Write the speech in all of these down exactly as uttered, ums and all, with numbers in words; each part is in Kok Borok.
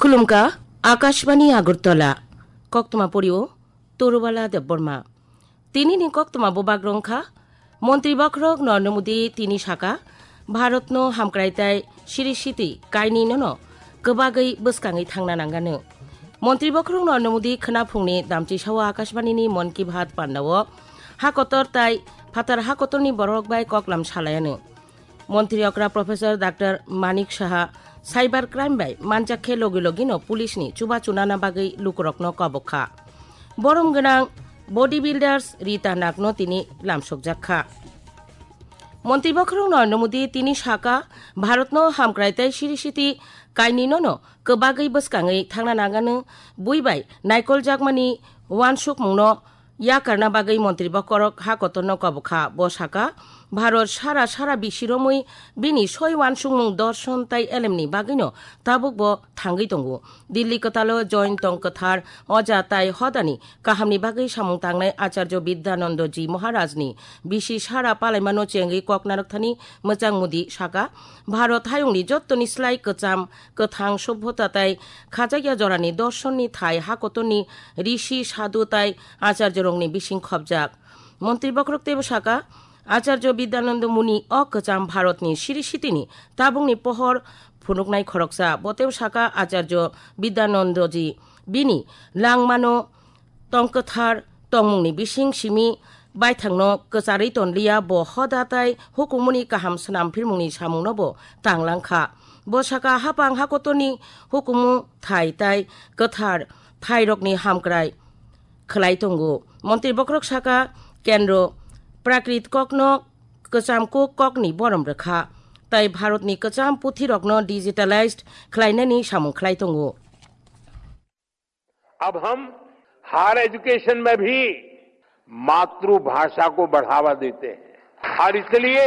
Khulumkha, Akashbani Agartala, koktwma porio Torubala Debbarma. Tini ni koktwma bubak rwngkha, Montri Bokhorok Narendra Modi tini saka, Bharatno hamkrai tai siri siti kainwi nono kwbagwi bwskangwi thangna nangano. Montri Bokhorok Narendra Modi khwnaphungni damchisao Akashbani ni Mon Ki Baat pandao hakotor tai phatar hakotorni borok bai koklam salayano. Montri okra Professor Doctor Manik Saha cyber crime bai manjak khe logi logino police ni chubachu nana bagwi lukurokno kobok kha. Borom gwnang body builders Rita Nakno tini lamsokjak kha. Montri Bokhorok Narendra Modi tini saka, Bharatno hamkrai tai siri siti kainwi nono kwbagwi bwskangwi thangna nangano, bui bai naikoljakmani uansukmungno yakarna bagwi Montri Bokhorok hakotorno kobok kha. Bo saka, Bharat sara sara bisi romwi bini soi uansukmung dorson tai elemni bagwino tabuk bo thangwi tongo. Dilli kwtalo join tong kwthar oja tai hodani kahamni bagwi samung tangnai Acharya Vidyananda ji Maharajni bisi sara palaimano chengwi kok narwkthani mwchang Modi saka, Bharat hayungni jottoni slai kwcham kwthang sobhota tai khajakya jorani dorsonni thai hakotorni rishi sadhu tai acharyorokni bising khopjak. Montri Bokhorok teibo saka, Acharya Vidyananda Muni o kwcham Bharatni siri sitini tabukni pohor phunuknai khoroksa. Bo teibo saka, Acharya Vidyanandaji bini langmano tongkwthar tongmungni bising simi baithangno kwcharwi tonliya, bo hoda tai hukumuni kaham swnam phirmungni samungno bo tanglangkha. Bo saka, hapang hakotorni hukumu thai tai kwthar thairokni hamkrai khwlai tongo. Montri Bokhorok saka, Kendro Prakrit kokno kwcham kuk kokni borom rwkha, tai Bharatni kwcham puthirokno digitalized khwlainani samung khwlai tongo. अब हम higher education में भी मातृभाषा को बढ़ावा देते हैं और इसलिए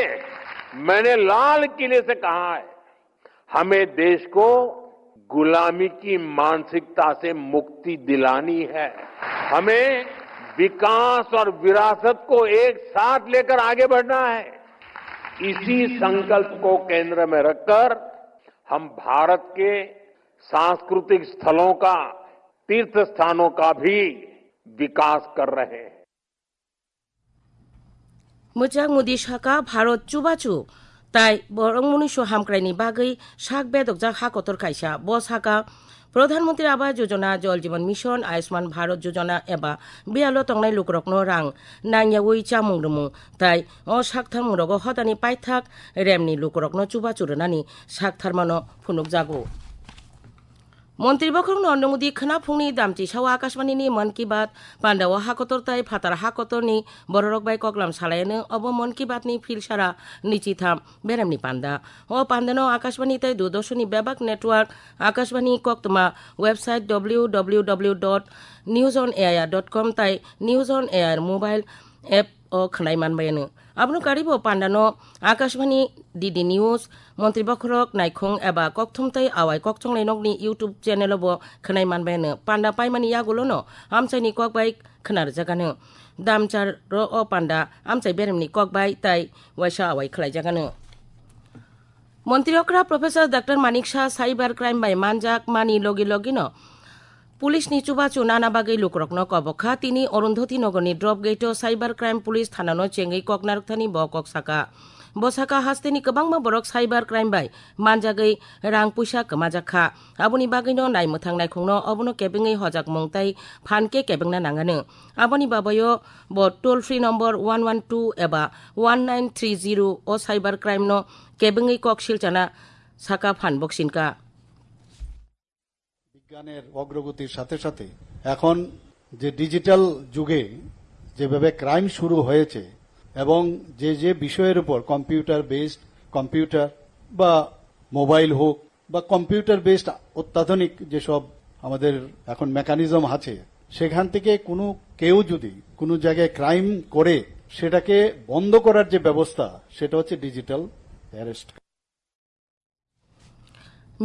मैंने लाल किले से कहा है, हमें देश को गुलामी की मानसिकता से मुक्ति दिलानी है। हमें विकास और विरासत को एक साथ लेकर आगे बढ़ना है। इसी संकल्प को केंद्र में रखकर हम भारत के सांस्कृतिक स्थलों का, तीर्थ स्थानों का भी विकास कर रहे हैं। Mwchang Modi saka, Bharat chubachu tai borok muniso hamkraini bagwi sak bedokjak ha kotor kaisa. Bo saka, Pradhan Mantri Awas Yojana, Jal Jeevan Mission, Ayushman Bharat Yojana eba biyalo tongnai lukurokno rang nangyawi chamung rwmung tai o saktharmungrogo hodani paithak remni lukurokno chubachu rwnani saktharmano phunukjago. Montri Bokhorok Narendra Modi khwnaphungni damchisao Akashbani ni Mann Ki Baat pandao hakotor tai phatar hakotorni bororok bai koklam salayano. Obo Mann Ki Baat ni philsara nwichitham beremni panda. O pandano Akashbani tai Doordarshan ni bebak network, Akashbani koktwma website W W W dot news on air dot com tai News on Air mobile app o khwnai manbayano. Abono karibo pandano Akashbani, D D News, Montri Bokhorok Naikhung eba Kokthum tei Awai Kokchonglai Nokni YouTube channel o bo khwnai manbayano. Panda paimani yagulono amchaini kok bai khwnarwjagano. Damchar ro o panda amchai beremni kok bai tai waisa awai khwlaijagano. Montri okra Professor Doctor Manik Saha cyber crime bai manjak mani logi logino police ni chubachu nana bagwi lukurokno kobok kha. Tini Arundhati Nagar ni drop gate o cyber crime police thana no chengwi kok narwkthani bo kok saka. Bo saka, hasteni kwbangma borok cyber crime bai manjagwi rang puisa kwmajak kha. Aboni bagwino naimwthang naikhungno obono kebengwi hojakmung tai phan khe kebengna nangano. Aboni babayo bo toll free number one one two eba one nine three zero o cyber crime no kebengwi kok silchana saka phan boksinka. বিজ্ঞানের অগ্রগতির সাথে সাথে এখন যে ডিজিটাল যুগে যেভাবে ক্রাইম শুরু হয়েছে এবং যে যে বিষয়ের উপর কম্পিউটার বেসড, কম্পিউটার বা মোবাইল হোক বা কম্পিউটার বেসড অত্যাধুনিক যেসব আমাদের এখন মেকানিজম আছে, সেখান থেকে কোনো কেউ যদি কোনো জায়গায় ক্রাইম করে, সেটাকে বন্ধ করার যে ব্যবস্থা, সেটা হচ্ছে digital arrest.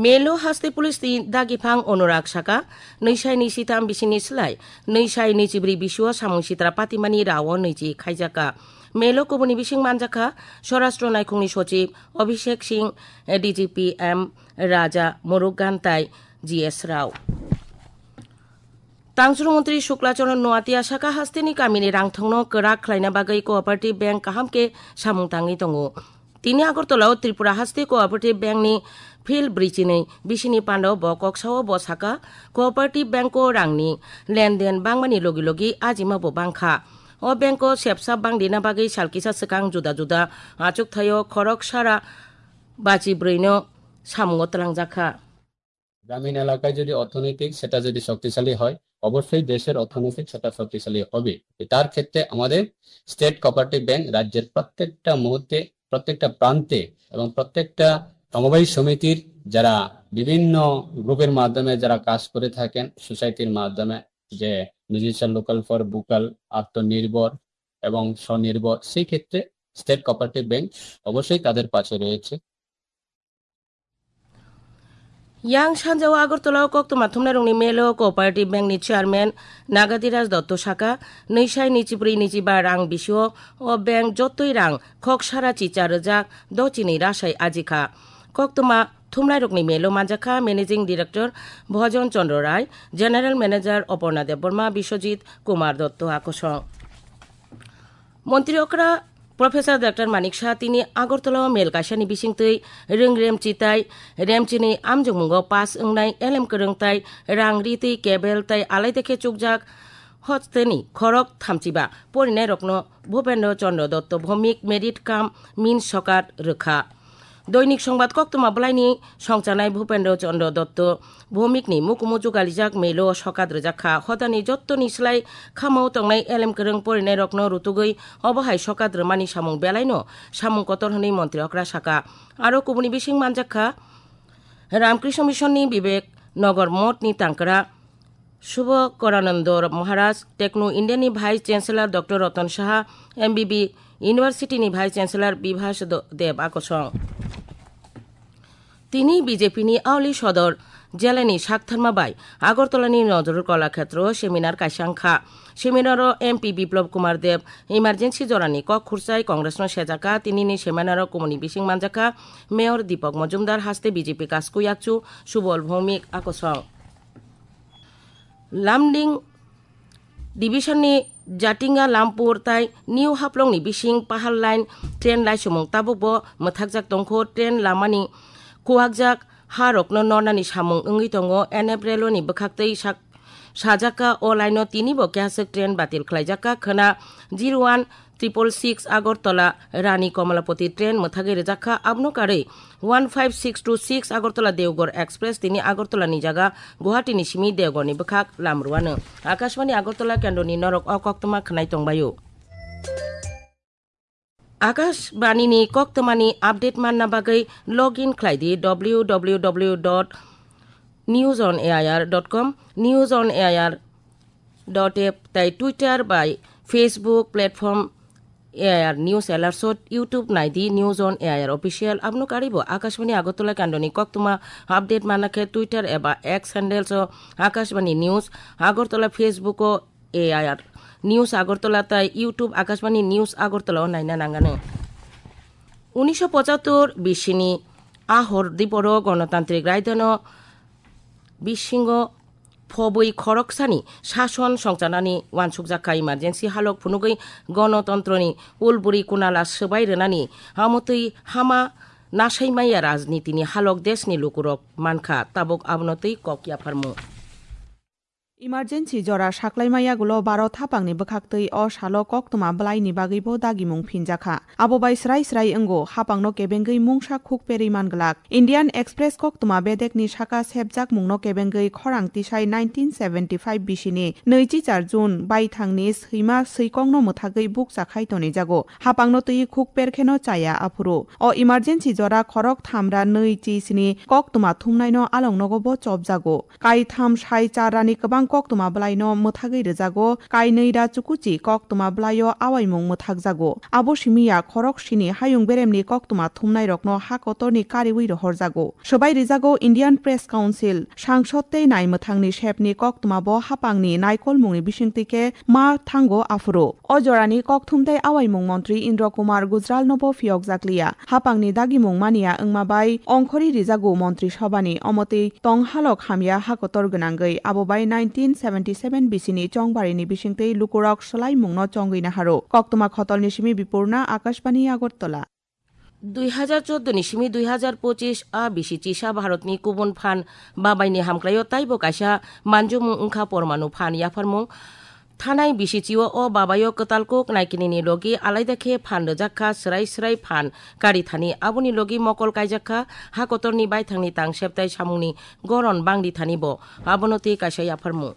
Melo haste police ni dagiphang Anurag saka, nwi sai nwi sitham bisini slai nwi sai nwi chibrwi bisuo samung sitra patimani rao nwi chi khaijakha. Melo kubuni bising manjakha Swarashtra naikhungni sochib Abhishek Singh, D G P M Raja Murugan tai G S Rao. Tangchung montri Shukla Charan Noatia saka hasteni kamini rangthongno kwrak khlaina bagwi Cooperative Bank kaham khe samung tangwi tongo. Tini Agartala o Tripura haste Cooperative Bank ni field bridge ni bisini pando bo kok sao bo saka Cooperative Bank o rangni lenden bangmani logi logi ajima bo bangkha. O bank o sepsa bangdina bagwi salkisa swkang juda juda achuk thaio khorok sara bachi brwi no samungo twlangjak kha. গ্রামীণ এলাকায় যদি অর্থনৈতিক সেটা যদি শক্তিশালী হয়, অবশ্যই দেশের অর্থনৈতিক সেটা শক্তিশালী হবে। তার ক্ষেত্রে আমাদের স্টেট কোঅপারেটিভ ব্যাংক রাজ্যের প্রত্যেকটা মুহূর্তে, প্রত্যেকটা প্রান্তে এবং প্রত্যেকটা সমবায় সমিতির যারা বিভিন্ন গ্রুপের মাধ্যমে যারা কাজ করে থাকেন, সোসাইটির মাধ্যমে, যে মিউজিশিয়ান লোকাল ফর ভোকাল, আত্মনির্ভর এবং স্বনির্ভর, সেই ক্ষেত্রে স্টেট কোঅপারেটিভ ব্যাংক অবশ্যই তাদের পাশে রয়েছে। Yang sanjao Agartala o koktwma thumnairokni melo Cooperative Bank ni chairman Nagadhiraj Dotto saka, nwi sai nwichibrwi nwichiba rang bisio o bank jotoi rang khok sara chicha rwjak do chini rasai ajikha. Koktwma thumnairokni melo manjakha Managing Director Bhojon Chandra Rai, General Manager Oporna Debbarma, Biswajit Kumar Dotto akosong. Montri okra Professor Doctor Manik Saha tini Agartala o mel kaisani bisingtwi rwng remchi tai remchini amjokmungo pass wngnai elem kwrwng tai rang ritwi cable tai alaidekhe chukjak hosteni khorok thamchiba porinairokno Bhupendra Chandra Dotto Bhowmik merit cum means sokat rwkha. Doinik Songbat koktwma bwlaini songchanai Bhupendra Chandra Dotto Bhowmikni mukumu jugalijak melo sokat rwjak kha. Hodani jottoni slai khamao tongnai elem kwrwng porinairokno rutugwi obo hai sokat rwmani samung belaino samung kotor hwnwi montri okra saka. Aro kubuni bising manjak kha Ramkrishna Mission ni Bibek Nagar Moth ni tangkra Subhakorananda Maharaj, Techno India ni Vice Chancellor Doctor Ratan Saha, M B B University ni Vice Chancellor Bibhas Do-, Deb akosong. Tini B J P ni Auli Sodor Jela ni saktharma bai Agartala ni Nazrul Kalakhetro o seminar kaisa wngkha. Seminar o M P Biplab Kumar Deb emergency jorani kok khursai Congress no sejaka. Tini ni seminar o kumuni bising manjaka Mayor Deepak Majumdar, haste B J P Kasku Yakchu Subal Bhowmik akosong. Lumding Division ni Jatinga Lampur tai New Haflong ni bising Pahal Line train laisumung tabuk bo mwthakjak tongkho. Train lamani kuwakjak ha rokno nornani samung wngwi tongo. N F Railway ni bwkhaktwi sak-, sajak kha o line o tini bo keha swk train batil khlaijak kha khwna zero one triple six Agartala Rani Komolapati train mwthagwi rwjak kha. Abono karwi one five six two six Agartala Deoghar Express tini Agartala ni jaga Guwahati ni simi Deoghar ni bwkhak lam rwano. Akashbani Agartala kendro ni norok o koktwma khwnai tongbaio. Akashbani ni koktwma ni update manna bagwi log in khlai di W W W dot news on A I R dot com, News on A I R dot app tai Twitter bai Facebook platform A I R News Alerts o YouTube nai di News on A I R Official. Abono karwi bo Akashbani Agartala kendro ni koktwma update manna khe Twitter eba X handles o Akashbani News Agartala, Facebook o A I R News Agartala tai YouTube Akashbani News Agartala o naina nangano. Unisho pochattor bisini a hor diporo Ganatantrik Raidano bisingo phobwi khoroksani sason songchanani uansukjak kha. Emergency halok phunugwi gonotontroni ulburi kunala swbai rwnani amotwi hama nasaimaya rajnitini halok deshni lukurok mankha, tabuk abono twi kok yapharmung. Emergency jora saklaima yagulo Bharat haphangni bwkhaktwi o salo koktwma bwlaini bagwibo dagimung phinjakha. Abo bai srai srai wngo, haphangno kebengwi mungsa khuk perwi man glak. Indian Express koktwma bedekni saka sepjakmungno kebengwi khorang tisai nineteen seventy five bisini nwichi char June baithangni swima swikokno mwthagwi bukcha khai tonijago. Haphangno twi khuk perkheno chaya aphuru. O emergency jora khorok thamra nwi chi sini koktwma thumnaino alongnogo bo chopjago. Kaitham sai charani kwbang koktwma bwlaino mwthagwi rwjago, kainwi ra chukuchi koktwma bwlaio awaimung mwthakjago. Abo simi ya khorok sini hayung beremni koktwma thumnairokno ha kotorni kariwi rohorjago. Swbai rijago Indian Press Council, sangsod tei naimwthangni sepni koktwmabo hapangni naikolmungni bisingtwi khe ma thango aphuru. O jorani kokthum tei awaimung montri Indra Kumar Gujralnobo phiyokjakliya. Hapangni dagimung mania wngma bai ongkhorwi rijago montri sobhani, omotwi tonghalok hamya hakotor gwnangwi, abo bai nineteen seventy seven bisini chongbarini bisingtwi lukurok swlaimungno chongwi naharo. Koktwma khotolni simi Bipurna, Akashbani Agartala. Dui hajar chordo ni simi dui hajar pochis a bisi chisa Bharatni kubun phan babaini hamkraio taibo kaisa manjomung wngkha pormanu phan yapharmung. Thanai bisi chio o babaio kwtal kuk naikinini logi alaida khe phan rwjak kha, swrai swrai phan kari thani, aboni logi mokol kaijak kha, ha kotorni baithangni tangsep tai samungni goron bangdi thani bo, abono tei kaisa yapharmung.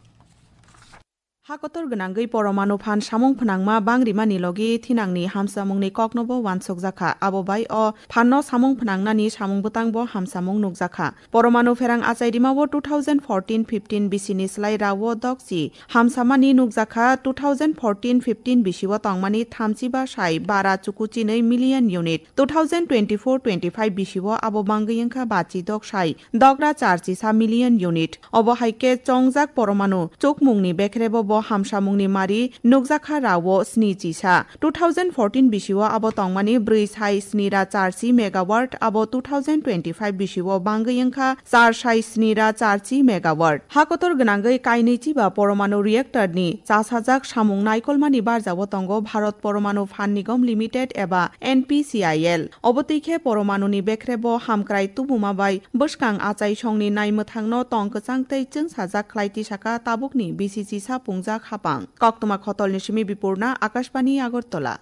Ha kotor gwnangwi poromanu phan samung phnangma bangrimani logi thinangni hamsamungni koknobo wansukjakha. Abo bai o phanno samung phnangnani samung bwtangbo hamsamung nukjakha. Poromanu pherang achai rimao two thousand fourteen fifteen bisini slai rao dokchi hamsamani nukjakha. Two thousand fourteen fifteen bisio tongmani thamchi ba sai bara chukuchinwi million unit. Two thousand twenty-four twenty-five bisio abo bangwi wngkha bachi dok sai dogra charchi sa million unit. Obo hai khe chongjak poromanu chukmungni bekrebo bo hamsamungni mari nukjakha rao sni chisa. Two thousand fourteen bisio abo tongmani brwi sai sni ra charchi megawatt, abo two thousand twenty-five bisio bangwi wngkha char sai sni ra charchi megawatt. Hakotor gwnangwi kainwi chiba poromanu reactor ni chasajak samung naikolmani barjao tongo Bharat Poromanu Phan Nigam Limited eba N P C I L. Obo twi khe poromanuni bekrebo hamkrai tubuma bai bwskang achaisongni naimwthangno tong kwchang tei chwngsajak khlai tisaka tabukni bisi chisa pungjak hapang. Koktwma khotolni simi Bipurna, Akashbani Agartala.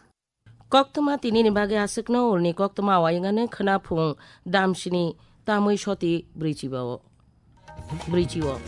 Koktwma tinini bagwi aswkno ulni koktwma wayangani khwna phung damsini tamwi soti brwichibao. Brwichio.